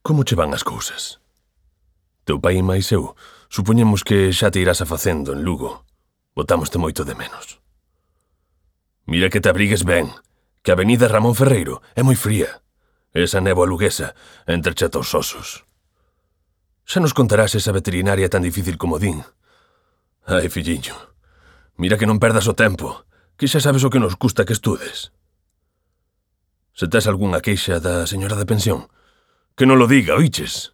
Como che van as cousas? Teu pai e máis eu supoñemos que xa te irás afacendo en Lugo. Botámoste moito de menos. Mira que te abrigues ben, que a avenida Ramón Ferreiro é moi fría. Esa néboa luguesa entreche ata os osos. Xa nos contarás esa veterinaria tan difícil como din. Ai, filliño, mira que non perdas o tempo, que xa sabes o que nos custa que estudes. Se tes algunha queixa da señora da pensión, que non lo diga, oiches?